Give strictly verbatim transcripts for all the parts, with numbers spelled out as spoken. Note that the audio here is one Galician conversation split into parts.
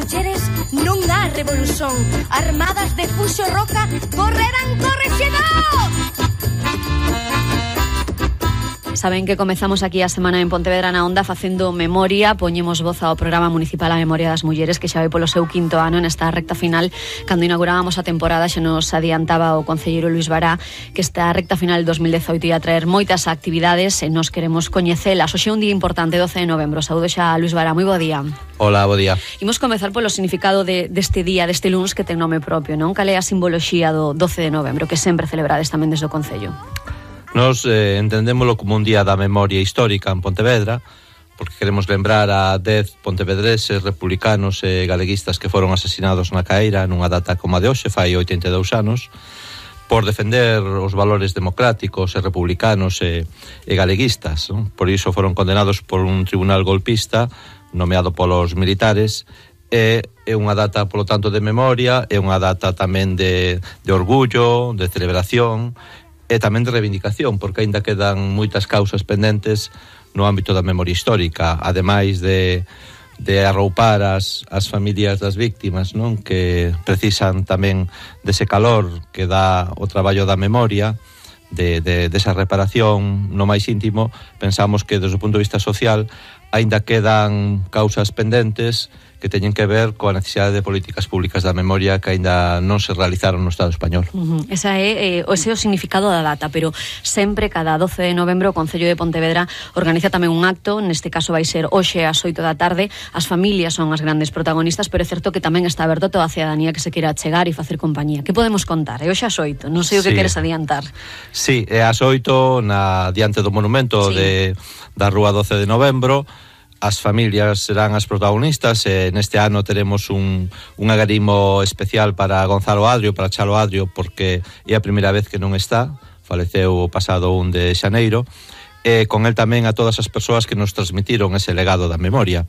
mulleres non há revolución. Armadas de Fuxo Roca correrán correxedor. Saben que comezamos aquí a semana en Pontevedra na Onda facendo memoria, poñemos voz ao programa municipal A Memoria das Mulleres, que xa vai polo seu quinto ano nesta recta final. Cando inaugurábamos a temporada xa nos adiantaba o concelleiro Luís Bará que esta recta final de dos mil dezoito ia traer moitas actividades e nos queremos coñecelas. Hoxe é un día importante, doce de novembro. Saúdo xa a Luís Bará, moi bo día. Hola, bo día. Imos comezar polo significado de, deste día, deste luns que ten nome propio, non? Cal é a simboloxía do doce de novembro, que sempre celebrades tamén desde o Concello? Nos eh, entendémoslo como un día da memoria histórica en Pontevedra, porque queremos lembrar a dez pontevedreses, republicanos e galeguistas que foron asesinados na Caeira nunha data como a de hoxe, fai oitenta e dous anos, por defender os valores democráticos e republicanos e, e galeguistas, non? Por iso foron condenados por un tribunal golpista nomeado polos militares. É, é unha data, polo tanto, de memoria, é unha data tamén de, de orgullo, de celebración e tamén de reivindicación, porque aínda quedan moitas causas pendentes no ámbito da memoria histórica, ademais de, de arroupar as, as familias das víctimas, non? Que precisan tamén dese calor que dá o traballo da memoria, de, de, desa reparación no máis íntimo. Pensamos que desde o punto de vista social aínda quedan causas pendentes que teñen que ver coa necesidade de políticas públicas da memoria que aínda non se realizaron no Estado español. Uh-huh. Esa é, eh, ese é o significado da data, pero sempre cada doce de novembro o Concello de Pontevedra organiza tamén un acto, neste caso vai ser hoxe ás oito da tarde. As familias son as grandes protagonistas, pero é certo que tamén está aberto toda a cidadanía que se queira chegar e facer compañía. Que podemos contar? É hoxe ás oito, non sei o que sí. Queres adiantar. Sí, é ás oito na diante do monumento sí. de, da Rúa doce de novembro. As familias serán as protagonistas e neste ano teremos un, un agarimo especial para Gonzalo Adrio, para Chalo Adrio, porque é a primeira vez que non está, faleceu o pasado un de xaneiro, e con el tamén a todas as persoas que nos transmitiron ese legado da memoria.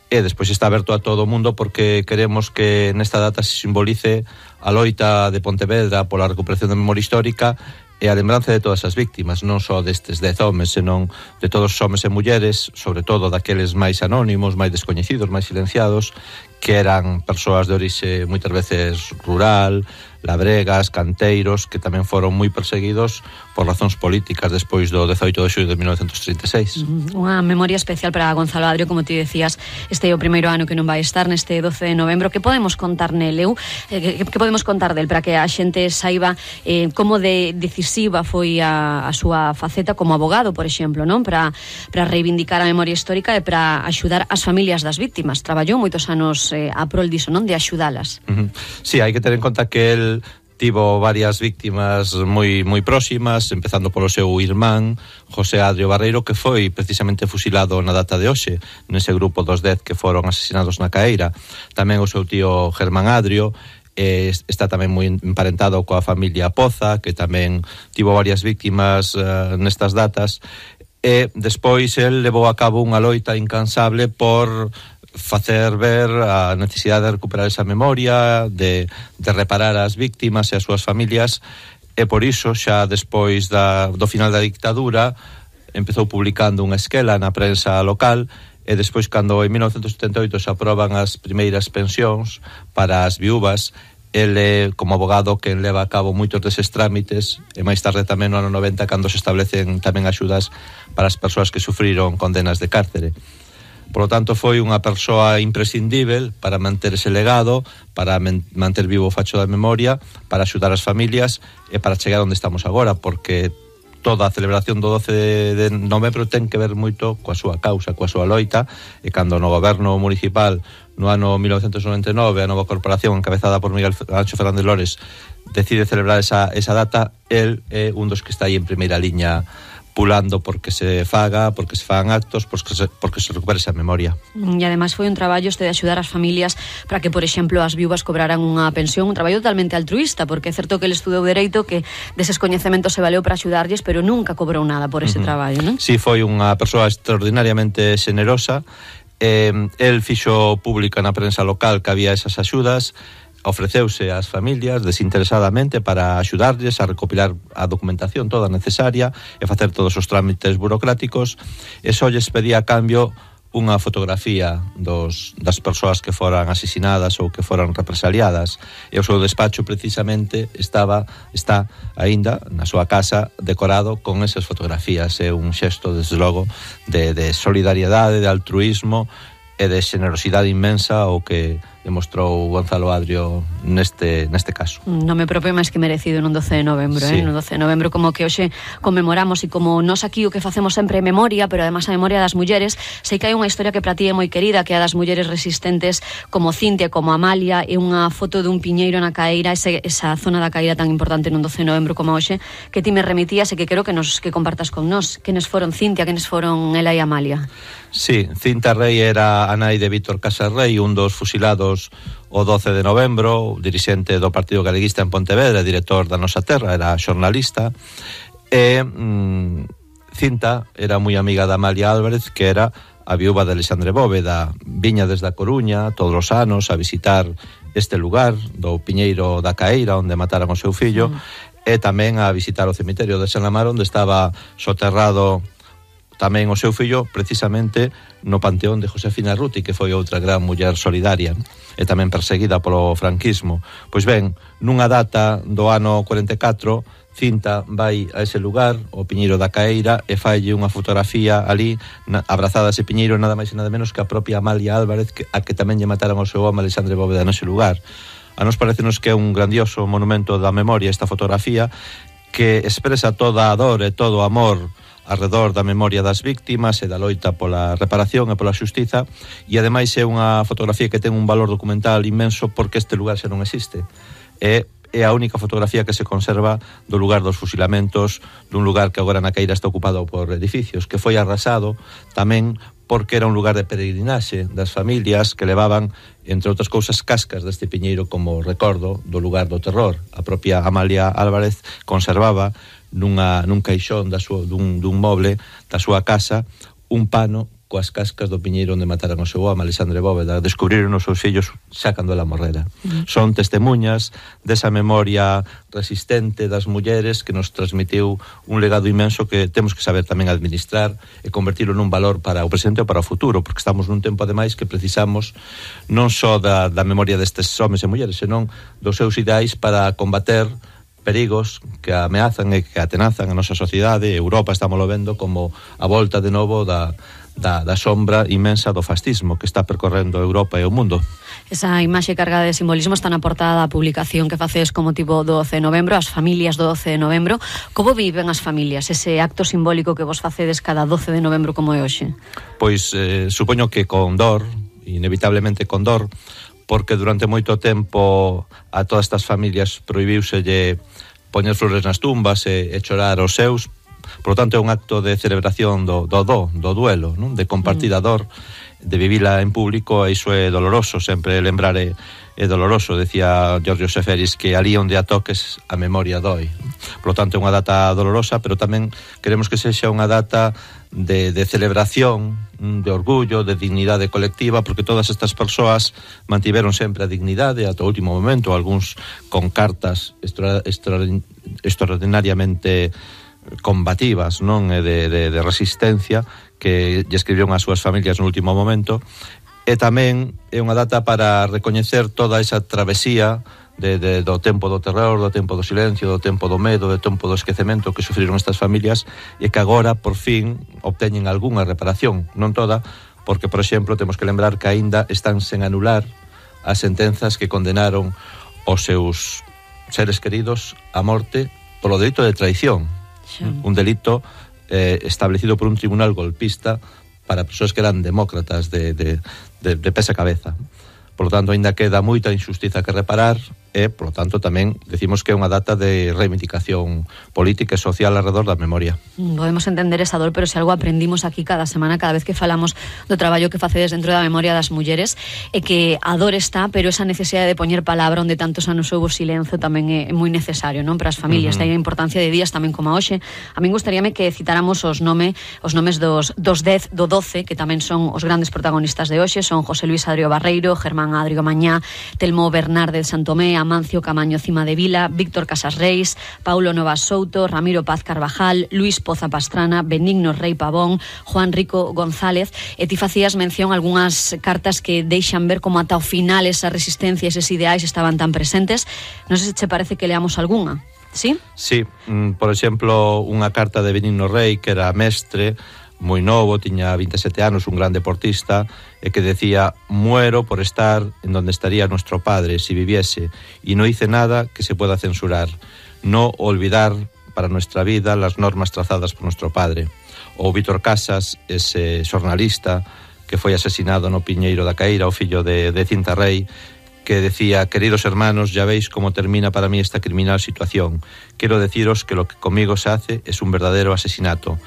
E despois está aberto a todo o mundo porque queremos que nesta data se simbolice a loita de Pontevedra pola recuperación da memoria histórica e a lembranza de todas as víctimas, non só destes dez homes, senón de todos os homes e mulleres, sobre todo daqueles máis anónimos, máis descoñecidos, máis silenciados, que eran persoas de orixe moitas veces rural, labregas, canteiros, que tamén foron moi perseguidos por razóns políticas despois do dezoito de xullo de mil novecentos trinta e seis. Unha memoria especial para Gonzalo Adrio, como ti decías, este é o primeiro ano que non vai estar neste doce de novembro. Que podemos contar nele? Que, que podemos contar del para que a xente saiba eh, como de decisiva foi a, a súa faceta como abogado, por exemplo, non? Para, para reivindicar a memoria histórica e para axudar as familias das víctimas. Traballou moitos anos eh, a prol diso, non? De axudalas. Uh-huh. Sí, hai que ter en conta que el tivo varias víctimas moi moi próximas, empezando polo seu irmán José Adrio Barreiro, que foi precisamente fusilado na data de hoxe nese grupo dos dez que foron asesinados na Caeira. Tamén o seu tío Germán Adrio, eh, está tamén moi emparentado coa familia Poza, que tamén tivo varias víctimas uh, nestas datas, e despois el levou a cabo unha loita incansable por facer ver a necesidade de recuperar esa memoria, de, de reparar as víctimas e as súas familias, e por iso xa despois da, do final da dictadura empezou publicando unha esquela na prensa local, e despois cando en mil novecentos setenta e oito se aproban as primeiras pensións para as viúvas, ele como abogado que leva a cabo moitos deses trámites, e máis tarde tamén no ano noventa cando se establecen tamén axudas para as persoas que sufriron condenas de cárcere. Por lo tanto, foi unha persoa imprescindível para manter ese legado, para men- manter vivo o facho da memoria, para axudar as familias e para chegar onde estamos agora, porque toda a celebración do doce de novembro ten que ver moito coa súa causa, coa súa loita, e cando no goberno municipal, no ano mil novecentos noventa e nove, a nova corporación encabezada por Miguel Ancho Fernández Lores decide celebrar esa, esa data, el é un dos que está aí en primeira liña pulando porque se faga, porque se fagan actos, porque se, porque se recupere esa memoria. E ademais foi un traballo este de axudar as familias para que, por exemplo, as viúvas cobraran unha pensión, un traballo totalmente altruista, porque é certo que ele estudou Dereito, que deses coñecementos se valeu para axudarlles, pero nunca cobrou nada por ese uh-huh. traballo, non? Sí, foi unha persoa extraordinariamente xenerosa. Eh, el fixo pública na prensa local que había esas axudas, ofreceuse ás familias desinteresadamente para axudarlles a recopilar a documentación toda necesaria e facer todos os trámites burocráticos, e só lles pedía a cambio unha fotografía dos, das persoas que foran asesinadas ou que foran represaliadas, e o seu despacho precisamente estaba está aínda na súa casa decorado con esas fotografías. É un xesto, desde logo, de, de solidariedade, de altruismo e de xenerosidade inmensa o que demostrou Gonzalo Adrio neste, neste caso. Nome propio máis que merecido nun doce de novembro, sí. eh? nun doce de novembro, como que hoxe conmemoramos, e como nós aquí o que facemos sempre é memoria, pero además a memoria das mulleres. Sei que hai unha historia que para ti é moi querida, que é a das mulleres resistentes como Cintia, como Amalia, e unha foto dun piñeiro na Caeira, ese, esa zona da Caeira tan importante nun doce de novembro como hoxe, que ti me remitías e que quero que nos que compartas con nós. Quenes foron Cintia, quenes foron ela e Amalia? Sí, Cinta Rei era a nai de Víctor Casas Rei, un dos fusilados o doce de novembro, dirixente do Partido Galeguista en Pontevedra, director da Nosa Terra, era xornalista, e mmm, Cinta era moi amiga da Amalia Álvarez, que era a viúva de Alexandre Bóveda. Viña desde a Coruña todos os anos a visitar este lugar do Piñeiro da Caeira, onde mataran o seu fillo, mm. e tamén a visitar o cemiterio de San Amaro, onde estaba soterrado tamén o seu fillo, precisamente no panteón de Josefina Ruti, que foi outra gran muller solidaria e tamén perseguida polo franquismo. Pois ben, nunha data do ano cuarenta e catro, Cinta vai a ese lugar, o Piñeiro da Caeira, e falle unha fotografía ali, na, abrazada a ese piñeiro, nada máis e nada menos que a propia Amalia Álvarez, que, a que tamén lle mataran o seu home Alexandre Bóveda nese lugar. A nos parecenos que é un grandioso monumento da memoria esta fotografía, que expresa toda a dor e todo o amor arredor da memoria das víctimas e da loita pola reparación e pola xustiza, e ademais é unha fotografía que ten un valor documental inmenso porque este lugar xa non existe. É, é a única fotografía que se conserva do lugar dos fusilamentos, dun lugar que agora na Caeira está ocupado por edificios, que foi arrasado tamén porque era un lugar de peregrinaxe das familias que levaban, entre outras cousas, cascas deste piñeiro como recordo do lugar do terror. A propia Amalia Álvarez conservaba nunha, nun caixón da súa, dun, dun moble da súa casa un pano coas cascas do piñeiro onde mataran o seu home Alexandre Bóveda. Descubriron os seus fillos xa cando ela morrera. Mm. Son testemunhas desa memoria resistente das mulleres que nos transmitiu un legado inmenso que temos que saber tamén administrar e convertirlo nun valor para o presente ou para o futuro, porque estamos nun tempo ademais que precisamos non só da, da memoria destes homes e mulleres, senón dos seus ideais para combater perigos que ameazan e que atenazan a nosa sociedade. Europa estamos lo vendo como a volta de novo da Da, da sombra inmensa do fascismo que está percorrendo Europa e o mundo. Esa imaxe cargada de simbolismo está na portada da publicación que facedes como motivo do doce de novembro, as familias do doce de novembro. Como viven as familias ese acto simbólico que vos facedes cada doce de novembro como é hoxe? Pois eh, supoño que con dor, inevitablemente con dor, porque durante moito tempo a todas estas familias prohibiuselle poñer flores nas tumbas e, e chorar os seus. Por lo tanto, é un acto de celebración do, do do, do duelo, non? De compartir a dor, de vivila en público, e iso é doloroso, sempre lembrar é, é doloroso. Decía Giorgio Seferis que ali onde a toques a memoria doi. Por lo tanto, é unha data dolorosa, pero tamén queremos que sexa unha data de, de celebración, de orgullo, de dignidade colectiva, porque todas estas persoas mantiveron sempre a dignidade ata o último momento, algúns con cartas extra, extra, extraordinariamente combativas, non, e de, de, de resistencia que lle escribiron ás súas familias no último momento. E tamén é unha data para recoñecer toda esa travesía de, de, do tempo do terror, do tempo do silencio, do tempo do medo, do tempo do esquecemento que sufriron estas familias, e que agora, por fin, obteñen algunha reparación, non toda, porque, por exemplo, temos que lembrar que aínda están sen anular as sentenzas que condenaron os seus seres queridos a morte polo delito de traición. Sí. Un delito eh, establecido por un tribunal golpista para persoas que eran demócratas de, de, de, de pesa cabeza. Por lo tanto, ainda queda moita injustiza que reparar e, por lo tanto, tamén decimos que é unha data de reivindicación política e social alrededor da memoria. Podemos entender esa dor, pero se algo aprendimos aquí cada semana, cada vez que falamos do traballo que facedes dentro da memoria das mulleres, é que a dor está, pero esa necesidade de poñer palabra onde tantos anos houbo silencio tamén é moi necesario, non, para as familias. Uh-huh. Hai a importancia de días tamén como a hoxe. A min gustaríame que citáramos os nome, os nomes dos, dos dez, do doce, que tamén son os grandes protagonistas de hoxe, son José Luis Adrio Barreiro, Germán Adrio Mañá, Telmo Bernardes Santomé, Amancio Camaño Cima de Vila, Víctor Casas Reis, Paulo Novas Souto, Ramiro Paz Carvajal, Luis Poza Pastrana, Benigno Rei Pavón, Juan Rico González. E ti facías mención a algunhas cartas que deixan ver como ata o final esa resistencia, eses ideais estaban tan presentes. Non sei se che parece que leamos algunha. Sí? Sí, por exemplo, unha carta de Benigno Rei, que era mestre, moi novo, tiña veinte e sete anos, un gran deportista, e que decía: muero por estar en donde estaría nuestro padre si viviese, y no hice nada que se pueda censurar. No olvidar para nuestra vida las normas trazadas por nuestro padre. Ou Víctor Casas, ese xornalista que foi asesinado no Piñeiro da Caíra, o fillo de, de Cinta Rei, que decía: queridos hermanos, ya veis cómo termina para mí esta criminal situación. Quiero deciros que lo que conmigo se hace es un verdadero asesinato.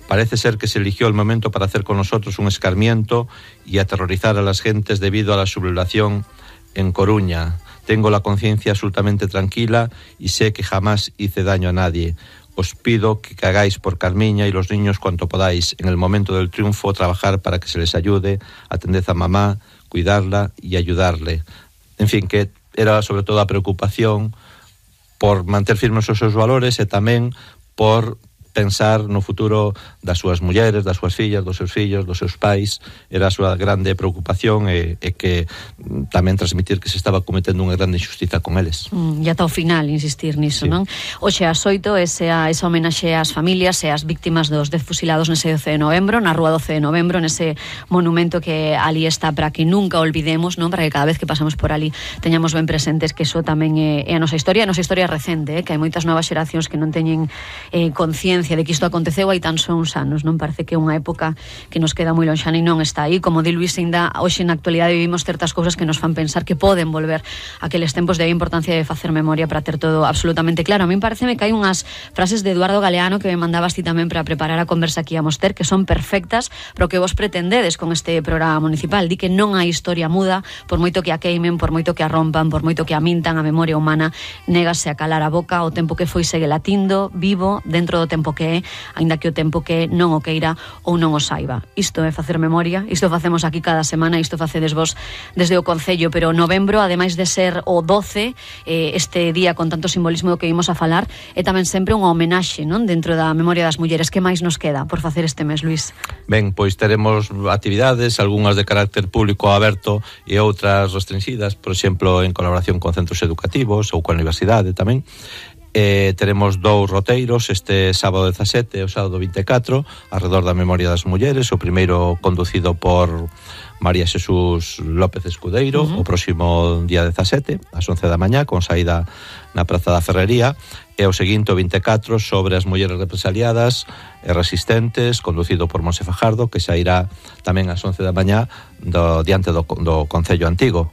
Parece ser que se eligió el momento para hacer con nosotros un escarmiento y aterrorizar a las gentes debido a la sublevación en Coruña. Tengo la conciencia absolutamente tranquila y sé que jamás hice daño a nadie. Os pido que cagáis por Carmiña y los niños cuanto podáis. En el momento del triunfo, trabajar para que se les ayude, atended a mamá, cuidarla y ayudarle. En fin, que era sobre todo a preocupación por manter firmes os seus valores e tamén por pensar no futuro das súas mulleres, das súas fillas, dos seus fillos, dos seus pais. Era a súa grande preocupación e, e que tamén transmitir que se estaba cometendo unha grande injustiza con eles. Mm, e ata o final insistir niso, sí. Non? Oxe, ás oito, esa, esa homenaxe ás familias e ás víctimas dos dez fusilados nese doce de novembro, na rúa doce de novembro, nese monumento que ali está para que nunca olvidemos, non? Para que cada vez que pasamos por ali teñamos ben presentes que eso tamén é, é a nosa historia, a nosa historia recente, eh? Que hai moitas novas xeracións que non teñen eh, conciencia de que isto aconteceu hai tan só uns anos, non? Parece que é unha época que nos queda moi lonxana e non está aí. Como di Luis, ainda hoxe na actualidade vivimos certas cousas que nos fan pensar que poden volver aqueles tempos, de importancia de facer memoria para ter todo absolutamente claro. A min pareceme que hai unhas frases de Eduardo Galeano que me mandabas ti tamén para preparar a conversa que íamos ter, que son perfectas pero que vos pretendedes con este programa municipal. Di que non hai historia muda, por moito que a queimen, por moito que a rompan, por moito que a mintan, a memoria humana négase a calar a boca. O tempo que foi segue latindo, vivo, dentro do tempo que é, aínda que o tempo que non o queira ou non o saiba. Isto é facer memoria, isto facemos aquí cada semana, isto facedes vos desde o Concello, pero novembro, ademais de ser o doce, eh, este día con tanto simbolismo do que vimos a falar, é tamén sempre unha homenaxe, non? Dentro da memoria das mulleres. Que máis nos queda por facer este mes, Luis? Ben, pois teremos actividades, algunhas de carácter público aberto e outras restringidas, por exemplo, en colaboración con centros educativos ou coa universidade tamén. Eh, teremos dous roteiros este sábado dezasete e o sábado vinte e catro arredor da memoria das mulleres. O primeiro conducido por María Xesús López Escudeiro, uh-huh. o próximo día dezasete ás once da mañá, con saída na Praza da Ferrería, e o seguinte, o vinte e catro, sobre as mulleres represaliadas e resistentes, conducido por Monse Fajardo, que sairá tamén ás once da mañá do, diante do, do Concello Antigo.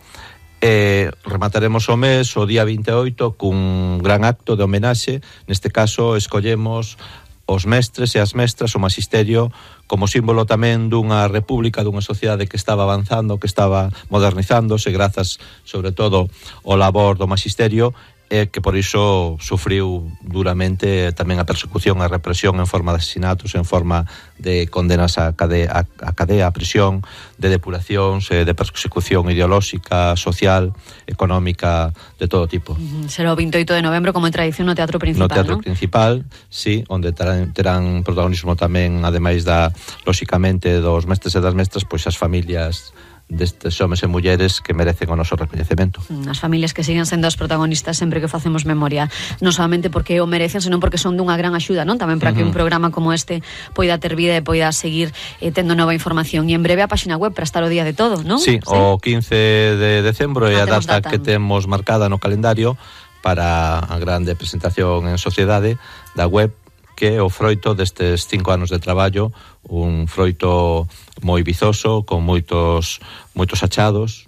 E remataremos o mes o día vinte e oito cun gran acto de homenaxe. Neste caso escollemos os mestres e as mestras, o magisterio, como símbolo tamén dunha república, dunha sociedade que estaba avanzando, que estaba modernizándose, grazas sobre todo ao labor do magisterio, e que por iso sufriu duramente tamén a persecución, a represión en forma de asesinatos, en forma de condenas a cadea, a, cadea, a prisión, de depuracións, de persecución ideolóxica, social, económica, de todo tipo. Será o vinte e oito de novembro, como en tradición, no Teatro Principal, no Teatro ¿no? Principal, sí, onde terán, terán protagonismo tamén, ademais da, lóxicamente, dos mestres e das mestras, pois as familias destes homes e mulleres que merecen o noso recoñecemento. As familias que siguen sendo as protagonistas sempre que facemos memoria, non solamente porque o merecen, senón porque son dunha gran axuda, non? Tamén para uh-huh. que un programa como este poida ter vida e poida seguir eh, tendo nova información. E en breve a páxina web para estar o día de todo, non? Sí, ¿sí? O quince de decembro é ah, a data, data que temos marcada no calendario para a grande presentación en sociedade da web, que é o froito destes cinco anos de traballo, un froito moi vizoso, con moitos moitos achados,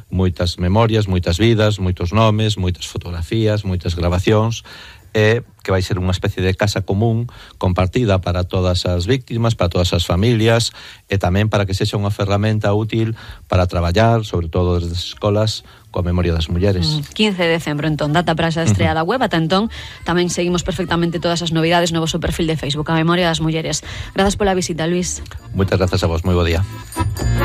moitas memorias, moitas vidas, moitos nomes, moitas fotografías, moitas grabacións, e que vai ser unha especie de casa común compartida para todas as víctimas, para todas as familias, e tamén para que sexa unha ferramenta útil para traballar, sobre todo desde as escolas, coa memoria das mulleres. quince de decembro, entón, data para esa estrea da web. Ata entón, tamén seguimos perfectamente todas as novidades no vosso perfil de Facebook, a memoria das mulleres. Grazas pola visita, Luis. Moitas grazas a vos, moi bo día.